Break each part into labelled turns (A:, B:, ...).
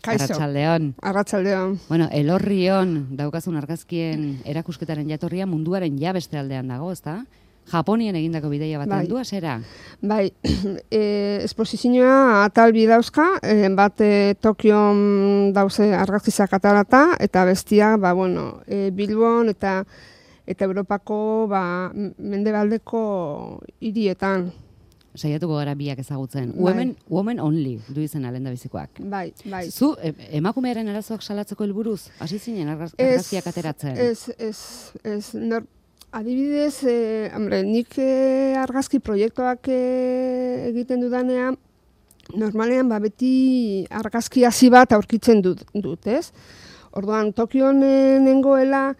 A: Kaixo. Arratsaldeon.
B: Bueno, Elorrion daukazun argazkien erakusketaren jatorria munduaren beste aldean dago, ezta? Japonien egindako bidaia baten du hasera.
A: Bai, esposizioa atal bi dauzka, bat Tokion dauze argazkizak atarata, eta bestia, Bilbon eta Europako mendebaldeko hirietan.
B: Saiatuko gara biak ezagutzen.
A: Bai.
B: Women only du izena lehendabizikoak.
A: Bai.
B: Zu emakumearen arazoak salatzeko helburuz hasi zinen argazkiak ateratzen.
A: Ez, adibidez, nik argazki proiektuak egiten dudanean, normalean beti argazki hasi bat aurkitzen dut, ez? Orduan, Tokion nengoela,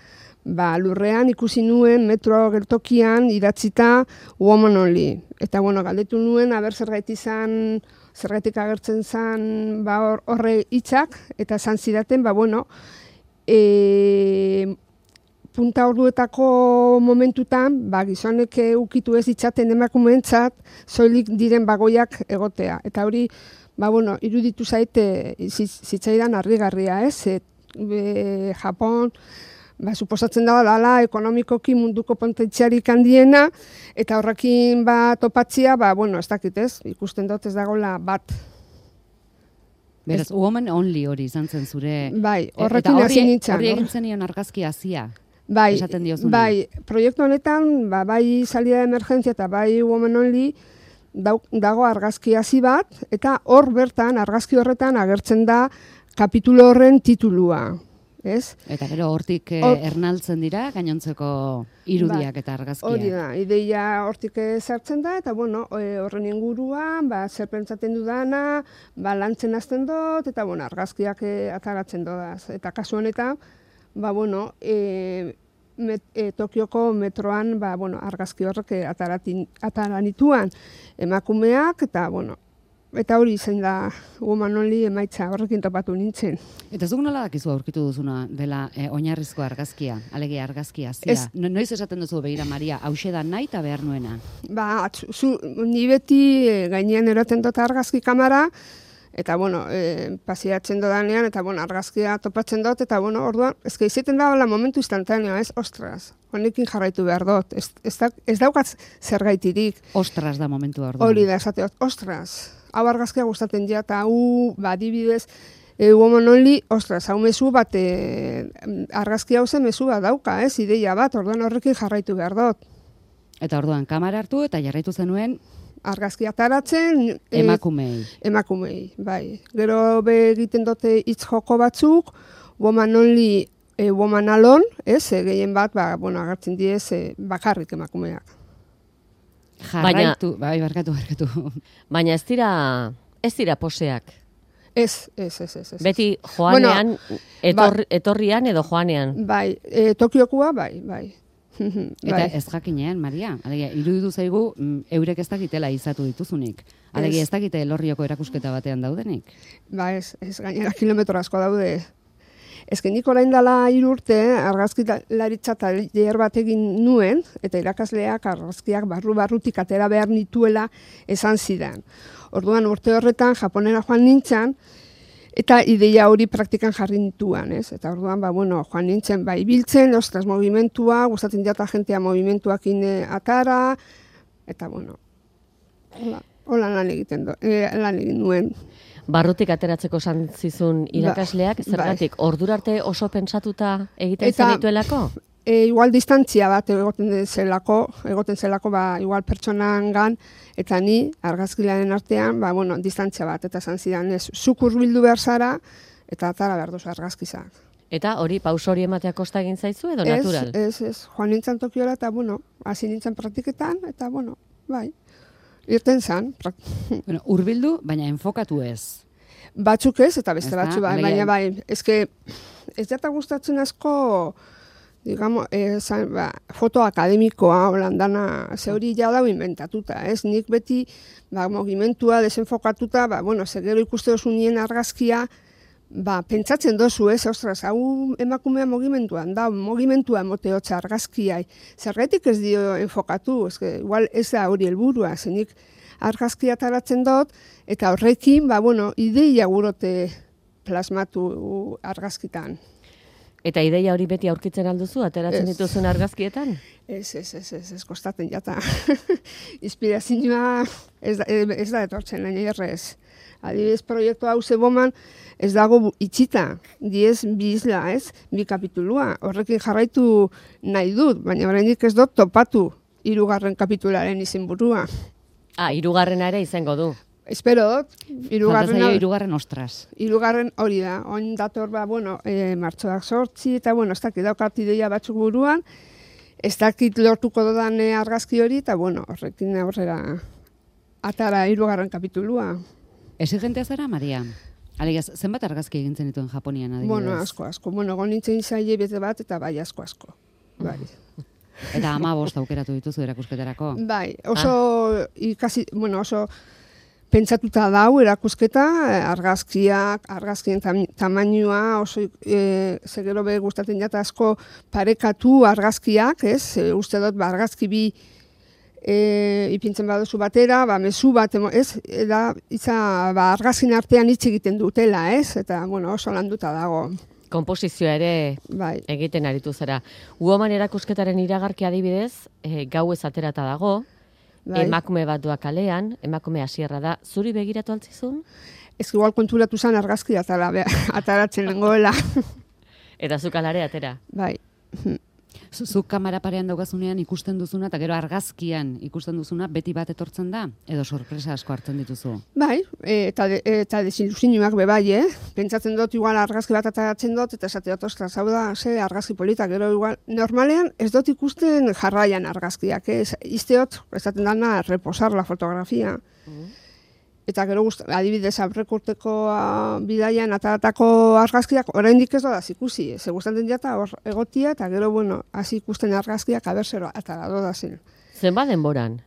A: lurrean ikusi nuen metro gertokian idatzita woman only. Eta, galdetu nuen, zergaitik agertzen zen horre hitzak, eta esan zidaten, punta orduetako momentutan, gizonek ukitu ez ditzaten emakumeentzat, soilik diren bagoiak egotea. Eta hori, iruditu zaite zitzaidan harrigarria, ez? Japon, suposatzen dela ekonomikoki munduko potentziarik handiena, eta horrekin topatzia, ez dakit ez, ikusten dut ez dagoela bat.
B: Beraz, woman only hori izan zen zure...
A: Bai, horrekin hasi nintzen.
B: Hori egin zenion argazki hasia, esaten diozuna.
A: Bai, proiektu honetan, bai salida de emergentzia eta bai woman only, dago argazki hasi bat, eta hor bertan, argazki horretan agertzen da kapitulo horren titulua. Ez?
B: Eta gero hortik ernaltzen dira, gainontzeko irudiak eta argazkiak.
A: Hori da, ideia hortik sartzen da, eta horren inguruan, zer pentsatzen dudana, lantzen hasten dut, eta argazkiak ataratzen dodaz. Eta kasu honetan, Tokioko metroan argazki horrek ataranituan emakumeak, eta hori izan da woman only emaitza horrekin topatu nintzen.
B: Eta zuk nola dakizu aurkitu duzuna dela oinarrizko argazkia, alegia argazkia zia? Noiz esaten duzu begira, Maria, hauxe da nahi eta behar nuena?
A: Ni beti gainean eraten dut argazki kamera, eta pasiatzen dodanean, eta argazkia topatzen dut, eta orduan, izaten da momentu instantaneo, ez? Ostras, honekin jarraitu behar dut, ez daukat zergaitirik.
B: Ostras da momentu orduan.
A: Hori da, esate dut, ostras, hau argazkia gustatzen ja, eta adibidez, woman only, ostras, hau mezu bat, argazkia hau zen mezu bat dauka, ez? Ideia bat, orduan horrekin jarraitu behar dut.
B: Eta orduan, kamera hartu eta jarraitu zenuen,
A: argazki ataratzen...
B: Emakumei,
A: bai. Gero egiten dute hitz joko batzuk, woman only, woman alone, ez? Gehien bat, agertzen diez, bakarrik emakumeak.
B: Jarraitu, barkatu.
A: Baina
C: ez dira poseak.
A: Ez.
C: Beti joanean, etorrian edo joanean.
A: Bai, Tokiokua, bai.
B: Eta ez jakinean, Maria, iruditu zaigu eurek ez dakitela izatu dituzunik. Ez dakite Elorrioko erakusketa batean daudenik.
A: Ez gainera kilometro asko daude. Nik orain dela 3 urte argazkilaritza taller bat egin nuen, eta irakasleak argazkiak barrutik atera behar nituela esan zidan. Orduan urte horretan Japonera joan nintzen, eta ideia hori praktikan jarri nituan, ez? Eta orduan, joan nintzen, ibiltzen, ostras, movimentua, gustatzen jata jentea movimentuakin atara, eta hola lan egin nuen.
C: Barrutik ateratzeko esan zizun irakasleak, zergatik, ordura arte oso pentsatuta egiten zenituelako?
A: Igual distantzia bat egoten zelako, igual pertsonangan, eta ni argazkilaren artean, distantzia bat, eta esan zidan, zuk hurbildu behar zara, eta atara behar duzu argazkizak.
C: Eta hori, pauso hori ematea kosta egin zaizu edo natural?
A: Ez, joan nintzen Tokiora, eta hasi nintzen praktiketan, eta bai, irten zan.
B: Hurbildu, baina enfokatu ez.
A: Batzuk ez, eta beste batzu baina bai, ez jata gustatzen asko, digamos, foto akademikoa, holandana, ze hori ja dago inventatuta, ez? Nik beti, mogimentua desenfokatuta, gero ikuste dozu nien argazkia, pentsatzen dozu, ez? Ostras, hau emakumea mogimentuan da, mogimentua emoteotza argazkiai. Zergatik ez dio enfokatu, igual ez da hori helburua, zenik argazkia taratzen dut, eta horrekin, ideia gurote plasmatu argazkitan.
C: Eta ideia hori beti aurkitzen alduzu, ateratzen dituzun argazkietan?
A: Ez, kostaten jata. Inspirazioa ez da etortzen, nahi errez. Adibidez, proiektu hau zeboman ez dago itxita, 10 bi isla, ez? 2 kapitulua. Horrekin jarraitu nahi dut, baina oraindik ez dut topatu 3. kapitularen izenburua.
C: 3. ere izango du.
A: Espero dut,
B: 3. ostras.
A: 3. hori da, oin dator, martxoak 8, eta, ez dakit daukat ideia batzuk buruan, ez dakit lortuko dodan argazki hori, eta, horrekin aurrera atara 3. kapitulua.
B: Exigentea zara, Maria? Alegia, zenbat argazki egintzen dituen Japonian, adibidez?
A: Asko. Gonintzen zaile bete bat, eta bai, asko. Bai.
B: Eta 15 aukeratu dituzu erakusketarako?
A: Bai, oso pentsatuta dau erakusketa, argazkien tamainua, oso zegero be gustatzen jata asko parekatu argazkiak, ez? Uste dut, argazki bi ipintzen baduzu batera, mezu bat, ez? Eta argazkin artean hitz egiten dutela, ez? Eta, oso landuta dago.
C: Komposizioa ere egiten aritu zara. Woman erakusketaren iragarki adibidez, gauez aterata dago, emakume bat doa kalean, emakume hasierra da, zuri begiratu altzizun?
A: Ez igual konturatu zen argazki ataratzen nengoela.
C: Eta zuk alare atera?
A: Bai.
B: Zuk kamera parean daukazunean ikusten duzuna, eta gero argazkian ikusten duzuna, beti bat etortzen da? Edo sorpresa asko hartzen dituzu?
A: Bai, eta desilusioak bai, Pentsatzen dut, igual argazki bat ataratzen dut, eta esate dut, ostras, hau da, argazki politak, gero igual, normalean ez dut ikusten jarraian argazkiak, izteot, esaten dana, reposar la fotografia. Eta gero adibidez aurrekurteko bidaian ataratako argazkiak oraindik ez dodaz ikusi. Ze gustatzen jata hor egotia eta gero hasi ikusten argazkiak aberzero atara dodazen.
C: Zenbat denboran?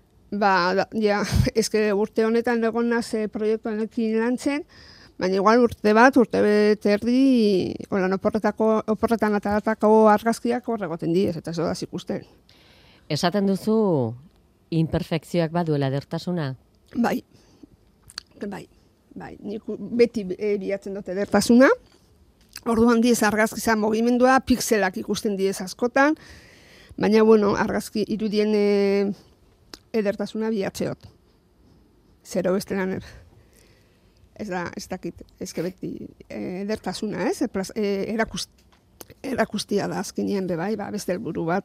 A: Eske urte honetan egon naz proiektu honekin lantzen, baina igual urte bete erdi, oporretan ataratako argazkiak hor egoten diez, eta ez dodaz ikusten.
C: Esaten duzu imperfekzioak baduela edertasuna?
A: Bai, nik beti bilatzen dute edertasuna. Orduan diez argazkiza mugimendua, pixelak ikusten diez askotan, baina, argazki irudien edertasuna bilatzeot. Zero bestelan ez dakit, ezke beti edertasuna, ez? Erakustia da azkenean bai, beste helburu bat.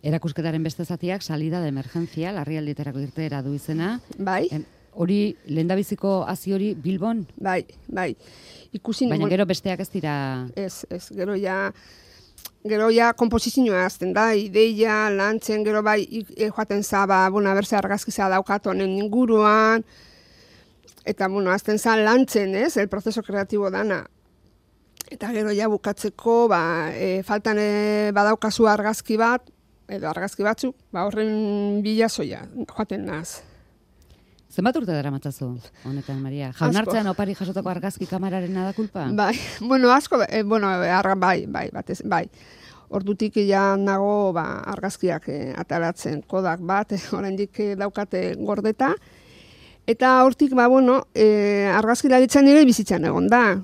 B: Erakusketaren beste zatiak salida de emergencia, larrialdietarako irteera du izena.
A: Bai.
B: Hori, lehendabiziko hazi hori Bilbon?
A: Bai.
B: Baina gero besteak ez dira...
A: Ez, gero ja komposizioa azten da, ideia, lantzen, gero bai, joaten za, berze argazkiza daukat honen inguruan, eta, azten za lantzen, ez, el proceso kreatibo dana. Eta gero ja bukatzeko, faltan badaukazu argazki bat, edo argazki batzuk, horren bilazoia, joaten naz.
B: Zenbat urte dara matzazu, honetan, Maria? Jaunartzean opari jasotako argazki kameraren da kulpa?
A: Bai, asko, bai. Ordutik ja nago argazkiak ataratzen kodak bat, oraindik daukate gordeta. Eta hortik, argazkilaritzan nire bizitzan egon da.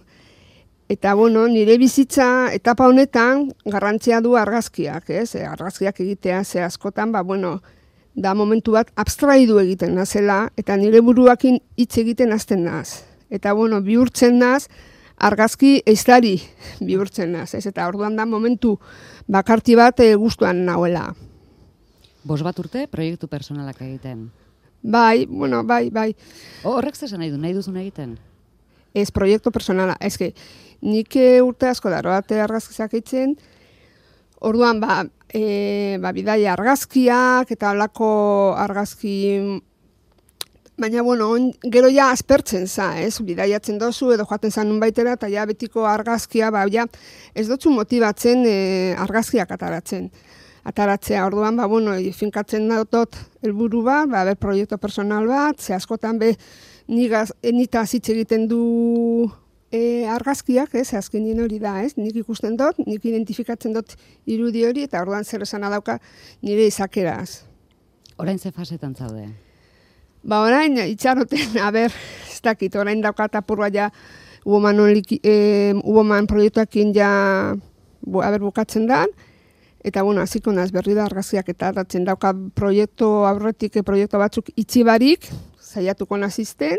A: Eta, nire bizitza etapa honetan garrantzia du argazkiak, ez? Argazkiak egitea ze askotan, da momentu bat abstraidu egiten nazela, eta nire buruakin hitz egiten hasten naz. Eta, bihurtzen naz, argazki eiztari bihurtzen naz, ez? Eta orduan da momentu bakarti bat gustuan nahuela.
B: 5 bat urte proiektu personalak egiten?
A: Bai.
B: Horrek zesan nahi duzun egiten?
A: Ez proiektu personala, ezke, nik urte asko daroate argazkizak eitzen, orduan, bidaia argazkiak, eta holako argazki, baina, gero ja aspertzen za, ez, bidaiatzen dozu, edo joaten zan nunbaitera, eta ja betiko argazkia, ez dutzu motibatzen argazkiak ataratzea, orduan, finkatzen dut helburu bat, proiektu personal bat, ze askotan, nita zitz egiten du argazkiak, ez, azkenien hori da, ez, nik ikusten dut, nik identifikatzen dut irudi hori, eta orduan zer esana dauka nire izakeraz.
B: Orain ze fasetan zaude?
A: Orain, itxaroten, ez dakit, orain daukat apurua ja Uboman proiektuakin ja bukatzen da, eta bueno, hasiko naz berri da argazkiak eta datzen dauka proiektu batzuk itxibarik, saiatuko nazizten,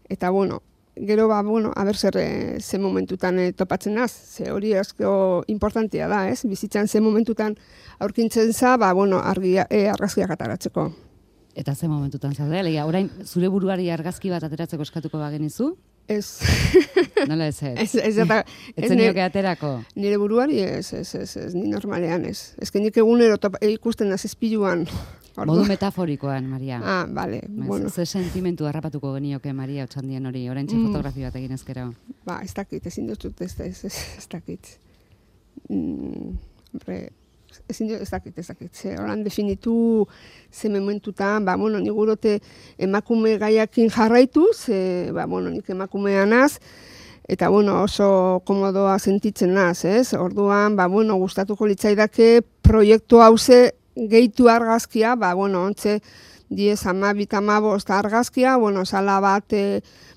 A: eta bueno, gero aber ze momentutan topatzen naz, ze hori asko importantea da, ez? Bizitzan ze momentutan aurkintzen za, argazkiak ataratzeko.
B: Eta ze momentutan zaude, orain zure buruari argazki bat ateratzeko eskatuko bagenizu?
A: Ez.
B: Nola ez? Ez zenioke aterako?
A: Nire buruari ez, ni normalean ez. Ez que nik egunero ikusten naz ezpiluan.
B: Modu metaforikoan, Maria.
A: Bale. Bueno.
B: Ze sentimentu harrapatuko genioke, Maria, Otxandian hori, oraintxe fotografia bat egin ezkero?
A: Ez dakit, ezin dut ez dakit. Ez dakit. Horan definitu ze momentutan, nik gurote emakume gaiakin jarraitu, nik emakumean naz, eta oso komodoa sentitzen naz, ez? Orduan, gustatuko litzaidake proiektu hauze gehitu argazkia, ontze 10-15 argazkia, sala bat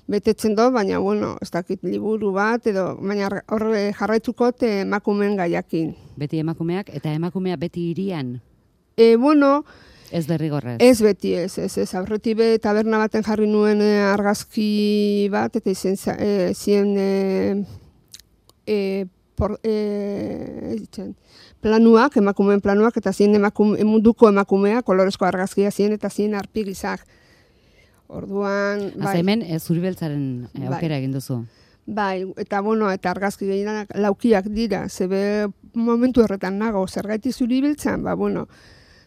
A: betetzen dut, baina, ez dakit liburu bat, baina horre jarraitzuko emakumeen gaiakin.
B: Beti emakumeak, eta emakumea beti irian?
A: Ez
B: derrigorrez?
A: Ez beti, ez. Aurretik taberna baten jarri nuen argazki bat, eta zien planuak, emakumeen planuak, eta zien munduko emakumea, kolorezko argazkia zien, eta zien arpigizak. Orduan,
B: hemen zuri beltzaren aukera egin duzu.
A: Eta eta argazki gehienak laukiak dira, zebe momentu horretan nago, zergaiti zuri beltzan,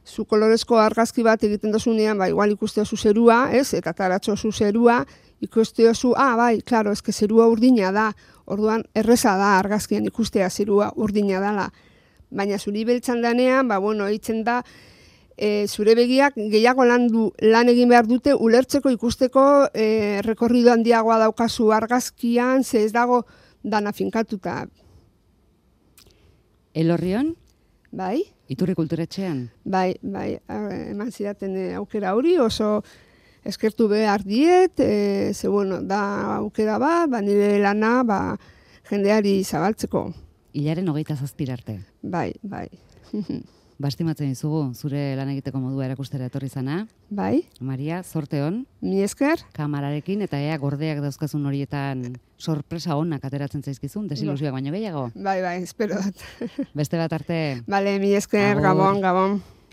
A: zu kolorezko argazki bat egiten dozunean, igual ikuste zu zerua, ez, eta taratxo zu zerua, ikuste zu, klaro, ezke zerua urdina da, orduan erreza da argazkian ikustea zerua urdina dala. Baina zuri beltzan danean, eitzen da, zure begiak gehiago lan egin behar dute ulertzeko ikusteko rekorrido handiagoa daukazu argazkian, ze ez dago dana finkatuta.
B: Elorrion?
A: Bai.
B: Iturri kulturetxean?
A: Bai, eman zidaten aukera hori, oso eskertu behar diet, da aukera bat, nire lana jendeari zabaltzeko.
B: Hilaren 27 arte?
A: Bai.
B: Bastimatzen dizugu, zure lan egiteko modua erakustera etorri zana.
A: Bai.
B: Maria, zorte hon.
A: Mi esker.
B: Kamararekin, eta gordeak dauzkazun horietan sorpresa honak ateratzen zaizkizun, desilusioak baino gehiago.
A: Bai, espero dut.
B: Beste bat arte.
A: Bale, mi esker, Gabon.